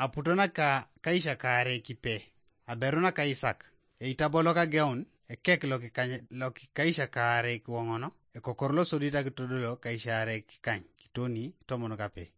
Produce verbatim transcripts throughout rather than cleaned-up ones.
aputo naka kaisha kaare kipe, aberu naka Isak, eitabo lokageun, ekek lokikaisha kaare kiwoŋono, ekokor losodit akitodolo kaisha aare kikany, kitoni tomon kape.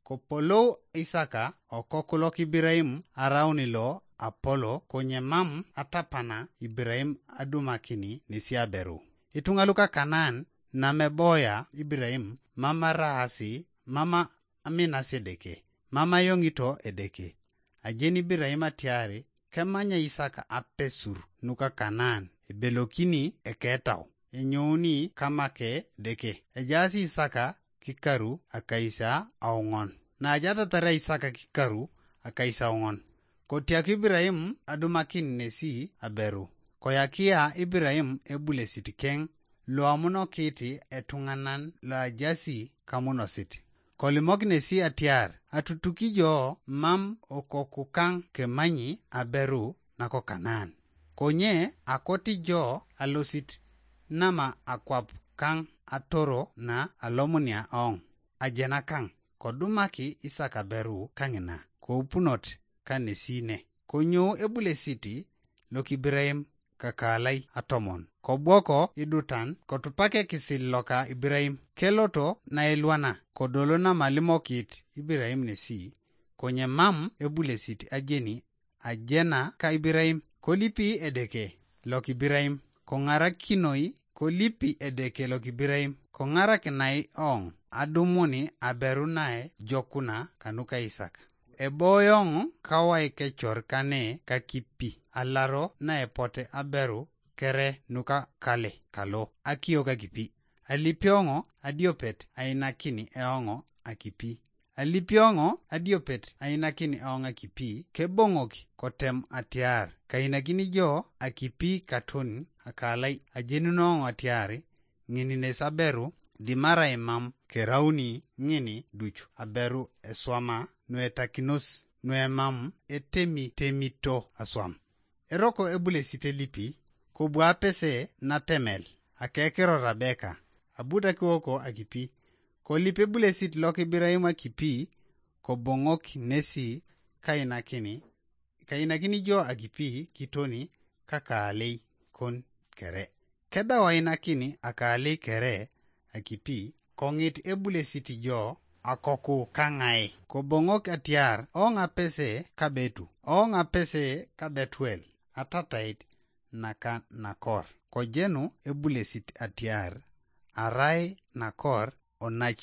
Kopolou Isaka okok lok Iburaim arauni lo apolo, konye mam atapana Iburaim adumakini nesi aberu. Ituŋa luka Kanaan nameboya Iburaim, mam araasi, mam aminasi Edeke, mam ayoŋito Edeke. Ajeni Iburaim atiari kemanya Isaka apesur nuka Kanaan, ebelokini eketau, enyouni kamake Edeke. Ejaas Isaka kikaru akaisa auŋon. Naajatatar Isaka kikaru akaisa auŋon, kotiak Iburaim adumakin nesi aberu. Koyakia Iburaim ebulesit keŋ loamunokit etuŋanan loajasi kamunosit. Kolimok nesi atiar, atutuki jo mam okoku kaŋ kemanyi aberu nako Kanaan. Konye akoti jo alosit nama akwap kaŋ atoro na alomunia oŋ, ajena kaŋ, kodumaki Isak aberu kaŋina, koupunot kanesi ne. Konyo ebulesit lokibiraim kakalai atomon, kobwoko idutan, kotupak ekisil loka Iburaim, keloto nailwana, kodolo namalimokit Iburaim nesi, konye mam ebulesit ajeni ajena ka Iburaim, kolipi Edeke lokibiraim, koŋarakinoi, kolipi Edeke lokibiraim, koŋarakinai oŋ adumuni aberu nae jokuna kanuka Isak. Eboyoŋ kawai kecor kane kakipi, alaro naepote aberu kere nuka kale kalo akio kakipi. Alipioŋo adiopet ainakini eoŋo akipi. Alipioŋo adiopet ainakini eoŋ akipi, keboŋok kotem atiar kainakini jo akipi katon akalai. Ajenunoŋo atiar ŋin nes aberu dimarai mam kerauni ŋin duc aberu eswama nuetakinos nuemam etemitemito aswam. Eroko ebulesit elipi, kobu apese natemel akekiro Rabeka, abut akiwoko akipi. Kolip ebulesit lok Iburaim akipi, koboŋok nesi kainakini, kainakini jo akipi kitoni kakaalei kon kere. Kedau ainakini akaalei kere akipi, koŋit ebulesit jo akoku kaŋai. Koboŋok atiar, oŋ apese kabetu, oŋ apese kabetuel, atatait naka Nakor. Kojenu ebulesit atiar, arai Nakor onac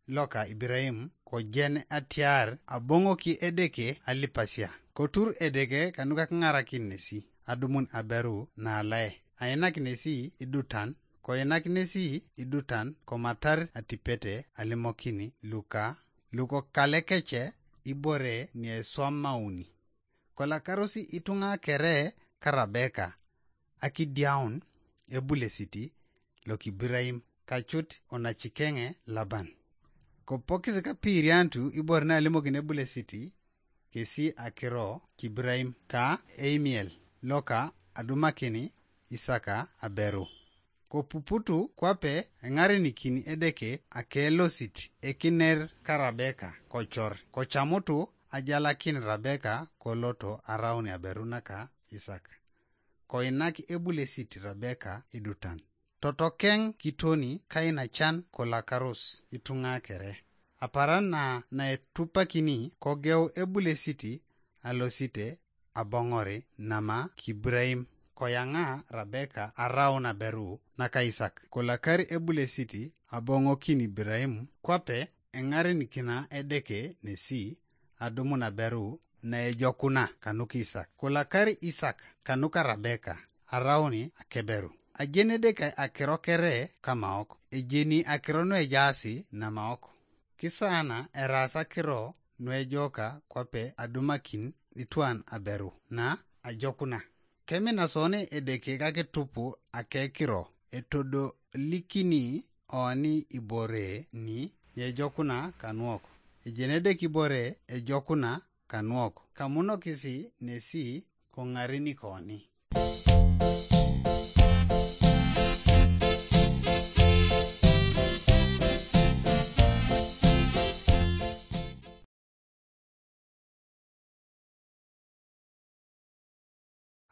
loka Iburaim, kojen atiar aboŋoki Edeke alipasia. Kotur Edeke kanuka kiŋarakin nesi adumun aberu naalae, ainak nesi idutan, koinak nesi idutan komatar atipete alimokini luka lukokalekece ibore nieswamauni. Kolakarosi ituŋa kere ka Rabeka akidiaun ebulesit lokibiraim kacut onacikeŋe Laban. Kopokis kapiiriantu ibore nalimokini ebulesit kesi akiro kibiraim ka eimiel loka adumakini Isaka aberu. Kopuputu kwape eŋarenikini Edeke akelosit ekiner ka Rabeka kocor, kocamutu ajalakin Rabeka koloto araun aberu naka Isak. Koinak ebulesit Rabeka idutan. Totokeŋ kitoni kainacan kolakaros ituŋa kere. Aparan na naetupakini kogeu ebulesit alosite aboŋori nama kibiraim. Koyaŋa Rabeka araun aberu naka Isak. Kolakar ebulesit aboŋokin Iburaim kwape eŋarenikina Edeke nesi adumun aberu naejokuna kanuka Isak. Kolakar Isak kanuka Rabeka arauni akeberu. Ajeni Edeke akiro kere kamaok, ejeni akiro nuejaasi namaok. Kisaana eraas akiro nuejoka kwape adumakin itwan aberu na ajokuna. Kemina soni Edeke kakitupu akekiro etodolikini oni ibore ni ejokuna kanuok. Ejeni Edeke ibore ejokuna kanuok, kamunokisi nesi koŋarenikoni.